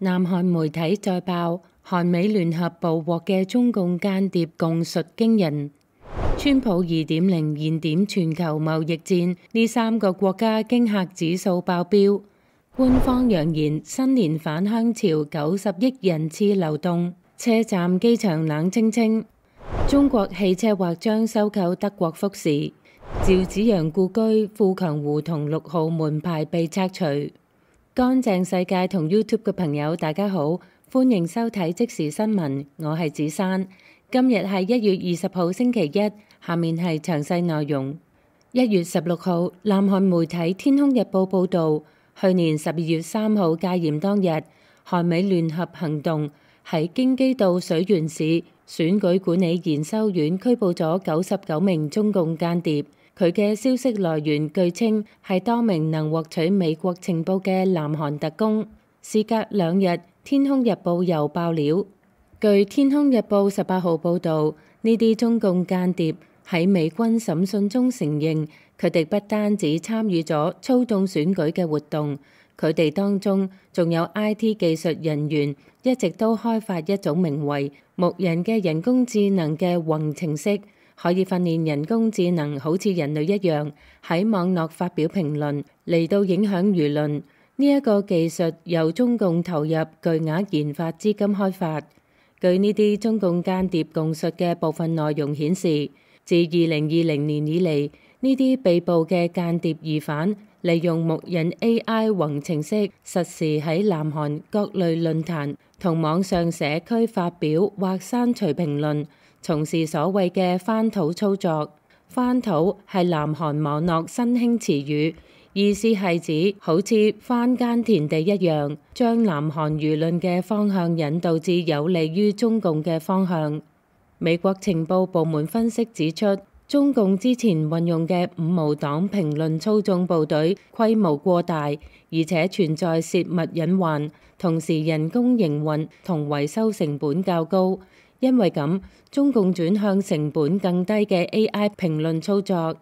南韓媒體再爆，韓美聯合捕獲嘅中共間諜供述驚人。川普2.0燃點全球貿易戰，呢3個國家驚嚇指數爆標。官方揚言新年返鄉潮90億人次流動，車站機場冷清清。中國汽車或將收購德國福士。趙紫陽故居富強胡同6號門牌被拆除。乾淨世界同 YouTube 嘅朋友大家好，歡迎收睇即時新聞，我係子珊。今日係1月20號星期一，下面係詳細內容。1月16號，南韓媒體《天空日報》報導，去年12月3號戒嚴當日，韓美聯合行動喺京畿道水原市選舉管理研修院拘捕咗99名中共間諜。佢嘅消息來源據稱係多名能獲取美國情報嘅南韓特工。事隔2日，《天空日報》又爆料。據《天空日報》18號報導，呢啲中共間諜喺美軍審訊中承認，佢哋不單止參與咗操縱選舉嘅活動，佢哋當中仲有 IT 技術人員，一直都開發一種名為牧人嘅人工智能嘅宏程式。可以訓練人工智能好似人類一樣喺網絡發表評論，嚟到影響輿論。呢一個技術由中共投入巨額研發資金開發。據呢啲中共間諜供述嘅部分內容顯示，自2020年以嚟，呢啲被捕嘅間諜疑犯利用牧人 AI 宏程式，實時喺南韓各類論壇同網上社區發表或刪除評論，從事所謂嘅翻土操作。翻土係南韓網絡新興詞語，意思係指好似翻耕田地一樣，將南韓輿論嘅方向引導至有利於中共嘅方向。美國情報部門分析指出，中共之前運用嘅五毛黨評論操縱部隊規模過大，而且存在泄密隱患，同時人工營運同維修成本較高。因為咁，中共轉向成本更低嘅 AI 評論操作。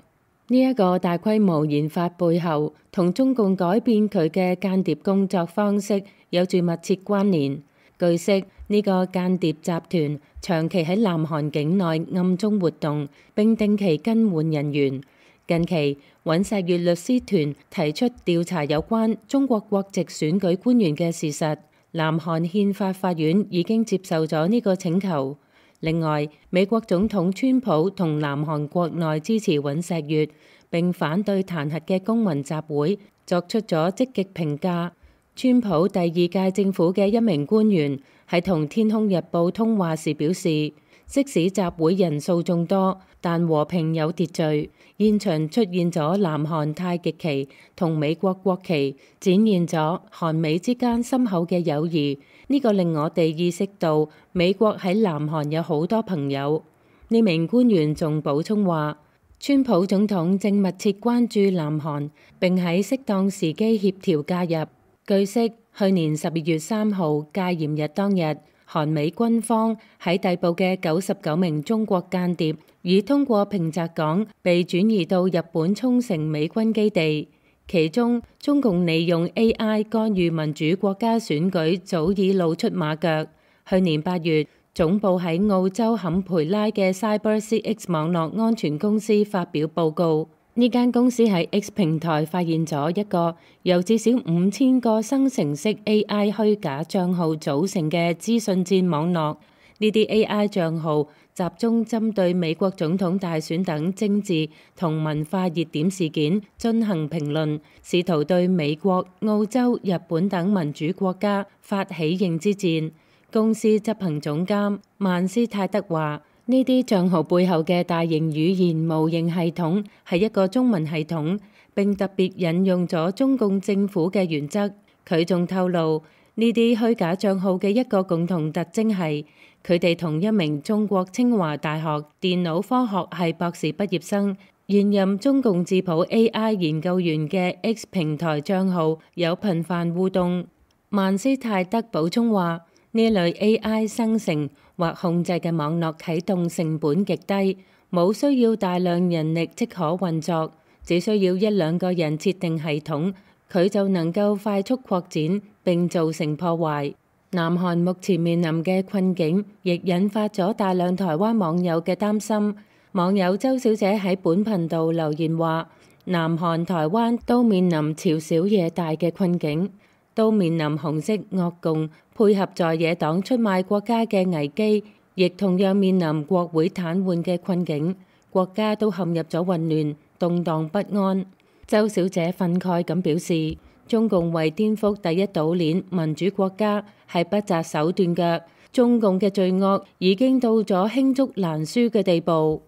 呢一個大規模研發背後，同中共改變佢嘅間諜工作方式有住密切關聯。據悉，呢個間諜集團長期喺南韓境內暗中活動，並定期更換人員。近期，尹錫悅律師團提出調查有關中國國籍選舉官員嘅事實。南韓憲法法院已經接受咗呢個請求。另外，美國總統川普同南韓國內支持尹錫悅並反對彈劾嘅公民集會作出咗積極評價。川普第2屆政府嘅一名官員喺同《天空日報》通話時表示，即使集會人數眾多，但和平有秩序。現場出現咗南韓太極旗同美國國旗，展現咗韓美之間深厚嘅友誼。呢個令我哋意識到美國喺南韓有好多朋友。呢名官員仲補充話，川普總統正密切關注南韓，並喺適當時機協調介入。據悉，去年12月3號戒嚴日當日，韓美軍方喺逮捕嘅99名中國間諜，已通過平澤港被轉移到日本沖繩美軍基地。其中，中共利用 AI 干預民主國家選舉早已露出馬腳。去年8月，總部喺澳洲坎培拉嘅 CyberCX 網絡安全公司發表報告。呢間公司喺 X 平台發現咗一個由至少5000個生成式 AI 虛假帳號組成嘅資訊戰網絡。呢啲 AI 帳號集中針對美國總統大選等政治同文化熱點事件進行評論，試圖對美國、澳洲、日本等民主國家發起認知戰。公司執行總監曼斯泰德話：呢啲帳號背後嘅大型語言模型系統係一個中文系統，並特別引用咗中共政府嘅原則。佢仲透露，呢啲虛假帳號嘅一個共同特徵係，佢哋同一名中國清華大學電腦科學系博士畢業生、現任中共智譜 AI 研究員嘅 X 平台帳號有頻繁互動。曼斯泰德補充話：呢類 AI 生成或控制嘅網絡啟動成本極低，冇需要大量人力即可運作，只需要1-2個人設定系統，佢就能夠快速擴展並造成破壞。南韓目前面臨嘅困境，亦引發咗大量台灣網友嘅擔心。網友周小姐喺本頻道留言話：南韓、台灣都面臨朝小野大嘅困境，都面臨紅色惡共配合在野黨出賣國家嘅危機，亦同樣面臨國會癱瘓嘅困境，國家都陷入咗混亂、動盪不安。周小姐憤慨咁表示：中共為顛覆第一島鏈民主國家係不擇手段嘅，中共嘅罪惡已經到咗罄竹難書嘅地步。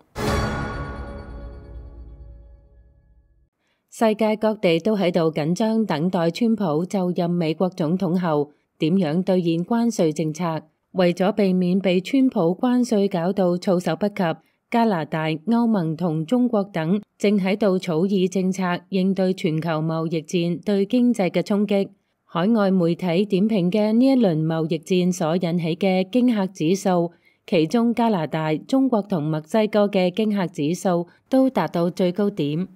世界各地都喺度緊張等待川普就任美國總統後點樣兌現關稅政策。為咗避免被川普關稅搞到措手不及，加拿大、歐盟同中國等正喺度草擬政策應對全球貿易戰對經濟嘅衝擊。海外媒體點評嘅呢一輪貿易戰所引起嘅驚嚇指數，其中加拿大、中國同墨西哥嘅驚嚇指數都達到最高點。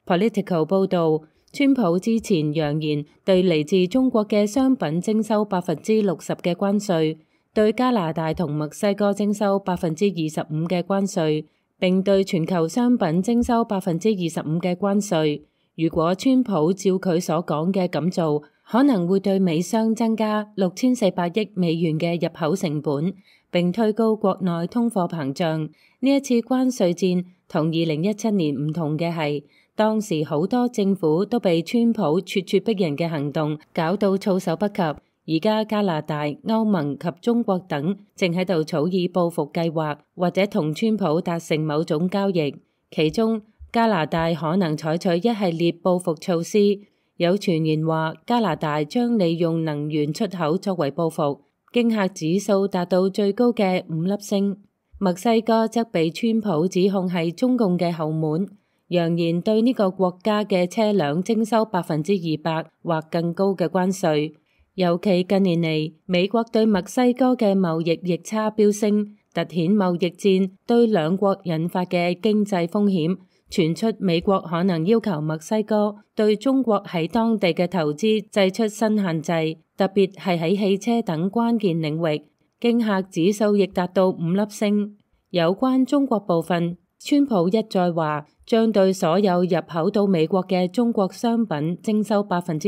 Political 報導，川普之前揚言對嚟自中國嘅商品徵收60%嘅關稅，對加拿大同墨西哥徵收25%嘅關稅，並對全球商品徵收25%嘅關稅。如果川普照佢所講嘅咁做，可能會對美商增加6400億美元嘅入口成本，並推高國內通貨膨脹。呢一次關稅戰同2017年唔同嘅係，當時好多政府都被川普咄咄逼人嘅行動搞到措手不及。而家加拿大、歐盟及中國等正喺度草擬報復計劃，或者同川普達成某種交易。其中加拿大可能採取一系列報復措施。有傳言話加拿大將利用能源出口作為報復，驚嚇指數達到最高嘅5粒星。墨西哥則被川普指控係中共嘅後門，揚言對呢個國家嘅車輛徵收200%或更高嘅關稅。尤其近年嚟，美國對墨西哥嘅貿易逆差飆升，凸顯貿易戰對兩國引發嘅經濟風險。傳出美國可能要求墨西哥對中國喺當地嘅投資祭出新限制，特別係喺汽車等關鍵領域。驚嚇指數亦達到5粒星。有關中國部分，川普一再話將對所有入口到美國嘅中國商品徵收60%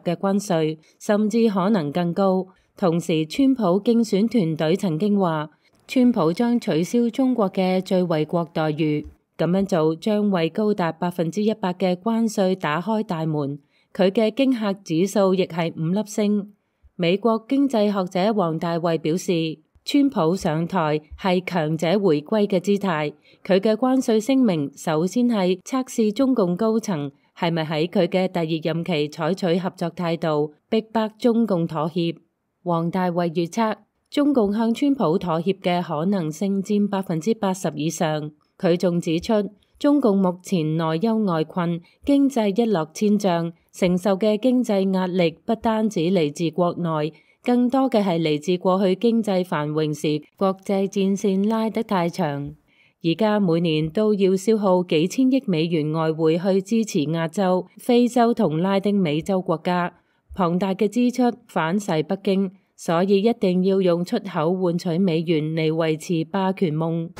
嘅關稅，甚至可能更高。同時，川普競選團隊曾經話，川普將取消中國嘅最惠國待遇。咁樣做將為高達100%嘅關稅打開大門。佢嘅驚嚇指數亦係5粒星。美國經濟學者王大衛表示，川普上台係強者回歸嘅姿態。佢嘅關稅聲明首先係測試中共高層係咪喺佢嘅第二任期採取合作態度，逼迫中共妥協。王大衛預測，中共向川普妥協嘅可能性佔80%以上。佢仲指出，中共目前內憂外困，經濟一落千丈，承受嘅經濟壓力不單止嚟自國內，更多嘅係嚟自過去經濟繁榮時國際戰線拉得太長。而家每年都要消耗幾千億美元外匯去支持亞洲、非洲同拉丁美洲國家，龐大嘅支出反噬北京，所以一定要用出口換取美元嚟維持霸權夢。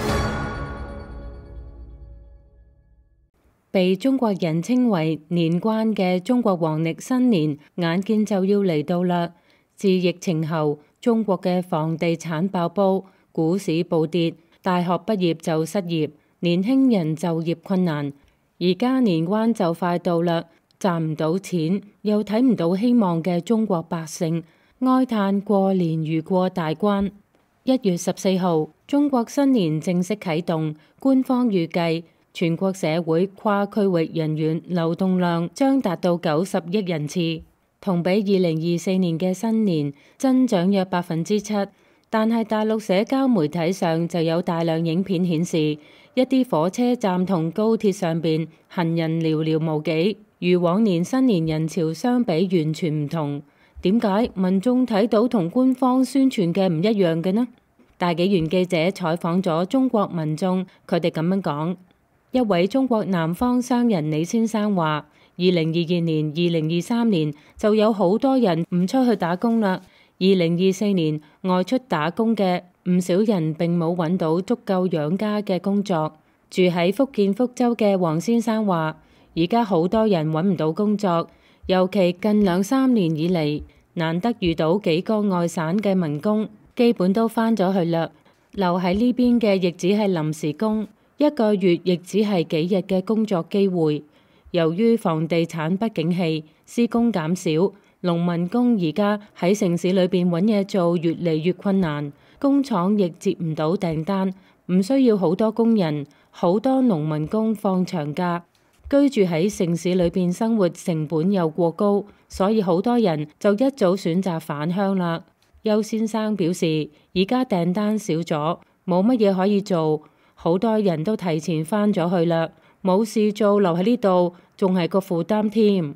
被中國人稱為年關嘅中國黃曆新年，眼見就要嚟到啦。自疫情後，中國嘅房地產爆煲，股市暴跌，大學畢業就失業，年輕人就業困難。而家年關就快到啦，賺唔到錢，又睇唔到希望嘅中國百姓，哀嘆過年如過大關。1月14號，中國新年正式啟動，官方預計全國社會跨區域人員流動量將達到90億人次，同比2024年嘅新年增長約7%。但係大陸社交媒體上就有大量影片顯示，一啲火車站同高鐵上邊行人寥寥無幾，與往年新年人潮相比完全唔同。點解民眾睇到同官方宣傳嘅唔一樣嘅呢？大紀元記者採訪咗中國民眾，佢哋咁樣講。一位中國南方商人李先生話：2022年、2023年就有好多人唔出去打工啦， 2024年外出打工嘅唔少人並冇揾到足夠養家嘅工作。住喺福建福州嘅黃先生話，而家好多人揾唔到工作，尤其近2-3年以嚟，難得遇到幾個外省嘅民工，基本都返咗去啦。留喺呢邊嘅亦只係臨時工，一個月亦只係幾日嘅工作機會。由於房地產不景氣，施工減少，農民工而家喺城市裏邊揾嘢做越嚟越困難，工廠亦接唔到訂單，唔需要好多工人，好多農民工放長假。居住喺城市裏邊生活成本又過高，所以好多人就一早選擇返鄉啦。邱先生表示，而家訂單少咗，冇乜嘢可以做，好多人都提前返咗去啦，冇事做留喺呢度，仲係個負擔添。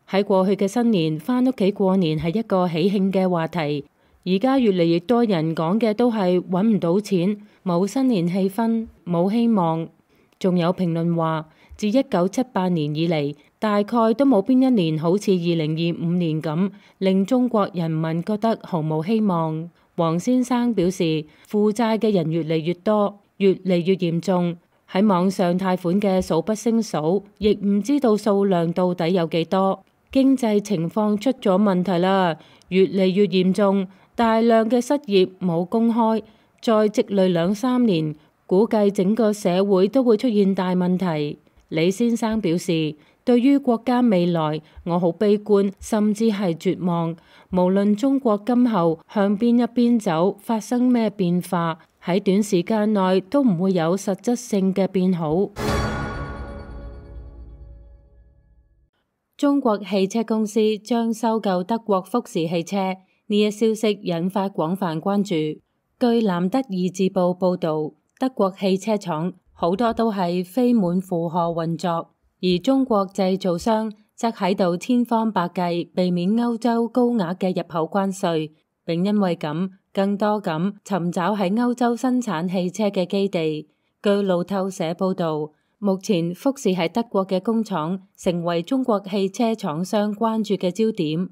喺過去嘅新年，返屋企過年係一個喜慶嘅話題，而家越嚟越多人講嘅都係揾唔到錢，冇新年氣氛，冇希望。仲有評論話，自1978年以嚟，大概都冇邊一年好似2025年咁，令中國人民覺得毫無希望。黃先生表示，負債嘅人越嚟越多，越嚟越嚴重，喺網上貸款嘅數不勝數，亦唔知道數量到底有幾多。經濟情況出咗問題啦，越嚟越嚴重，大量嘅失業冇工開，再積累2-3年，估計整個社會都會出現大問題。李先生表示，對於國家未來，我好悲觀，甚至係絕望。無論中國今後向邊一邊走，發生咩變化，喺短時間內都唔會有實質性嘅變好。中國汽車公司將收購德國福士汽車，呢一消息引發廣泛關注。據南德意志報報導，德國汽車廠好多都係非滿負荷運作，而中國製造商則喺度千方百計避免歐洲高額嘅入口關稅，並因為咁更多咁尋找喺歐洲生產汽車嘅基地。據路透社報導，目前福士喺德國嘅工廠成為中國汽車廠商關注嘅焦點。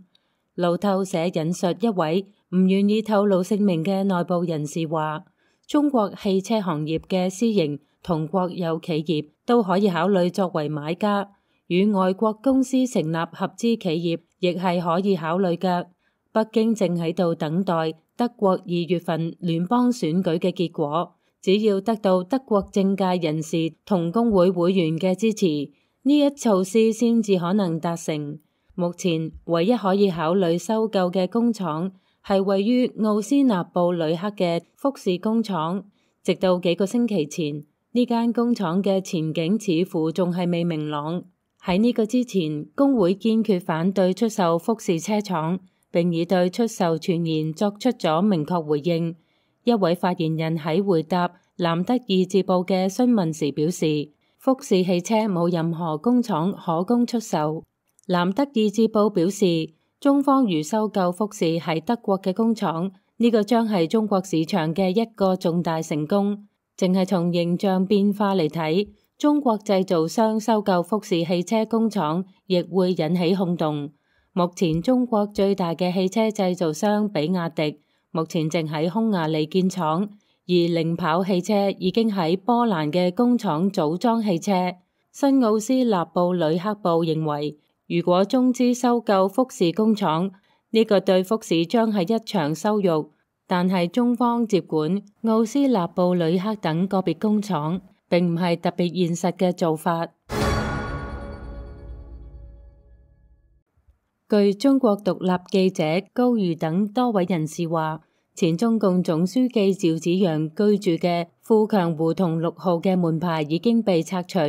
路透社引述一位唔願意透露姓名嘅內部人士話，中國汽車行業嘅私營同國有企業都可以考慮作為買家，與外國公司成立合資企業亦係可以考慮嘅。北京正喺度等待德國2月份聯邦選舉嘅結果。只要得到德國政界人士同工會會員嘅支持，呢一措施先至可能達成。目前唯一可以考慮收購嘅工廠係位於奧斯納布呂克嘅福士工廠。直到幾個星期前，呢間工廠嘅前景似乎仲係未明朗。喺呢個之前，工會堅決反對出售福士車廠，並已對出售傳言作出咗明確回應。一位發言人喺回答南德意志報嘅詢問時表示，福士汽車冇任何工廠可供出售。南德意志報表示，中方如收購福士喺德國嘅工廠，呢個將係中國市場嘅一個重大成功。淨係從形象變化嚟睇，中國製造商收購福士汽車工廠亦會引起轟動。目前中國最大嘅汽車製造商比亞迪目前正喺匈牙利建廠，而領跑汽車已經喺波蘭嘅工廠組裝汽車。新奧斯納布呂克報認為，如果中資收購福士工廠，呢個對福士將係一場羞辱。但係中方接管奧斯納布呂克等個別工廠，並唔係特別現實嘅做法。據中國獨立記者高瑜等多位人士話，前中共總書記趙紫陽居住嘅富強胡同6號嘅門牌已經被拆除，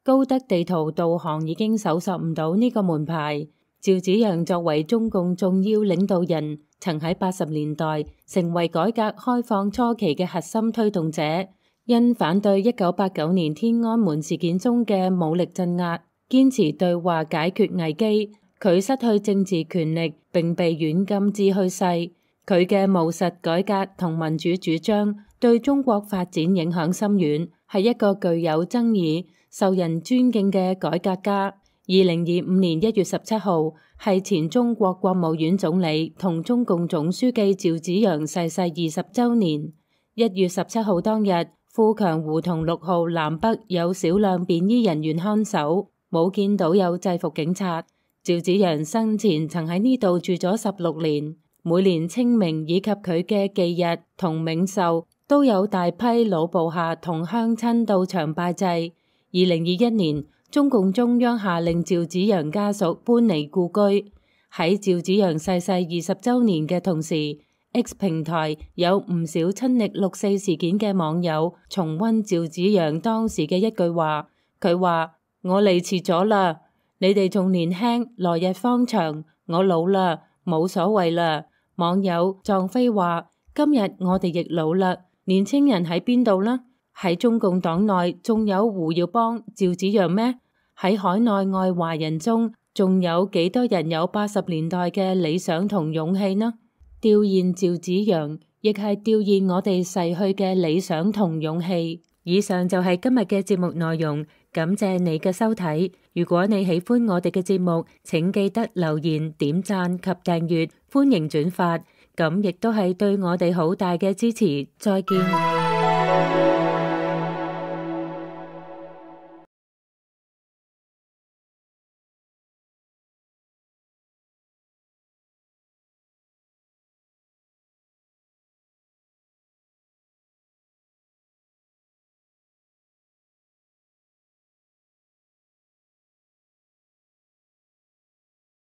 高德地圖導航已經搜索唔到呢個門牌。趙紫陽作為中共重要領導人，曾喺80年代成為改革開放初期嘅核心推動者，因反對1989年天安門事件中嘅武力鎮壓，堅持對話解決危機。佢失去政治權力並被軟禁至去世。佢嘅務實改革同民主主張對中國發展影響深遠，係一個具有爭議、受人尊敬嘅改革家。2025年1月17號係前中國國務院總理同中共總書記趙紫陽逝世20週年。1月17號當日，富強胡同6號南北有少量便衣人員看守，冇見到有制服警察。趙紫陽生前曾喺呢度住咗16年，每年清明以及佢嘅忌日同冥壽，都有大批老部下同鄉親到場拜祭。2021年，中共中央下令趙紫陽家屬搬離故居。喺趙紫陽逝世20週年嘅同時，X 平台有唔少親歷6.4事件嘅網友重溫趙紫陽當時嘅一句話，佢話：我嚟遲咗啦，你哋仲年輕，來日方長，我老啦，冇所謂啦。網友壯飛話：今日我哋亦老啦，年青人喺邊度呢？喺中共黨內仲有胡耀邦、趙紫陽咩？喺海內外華人中，仲有幾多人有80年代嘅理想同勇氣呢？弔唁趙紫陽，亦係弔唁我哋逝去嘅理想同勇氣。以上就係今日嘅節目內容，感謝你嘅收睇。如果你喜歡我哋嘅節目，請記得留言、點讚及訂閱，歡迎轉發，咁亦都係對我哋好大嘅支持。再見。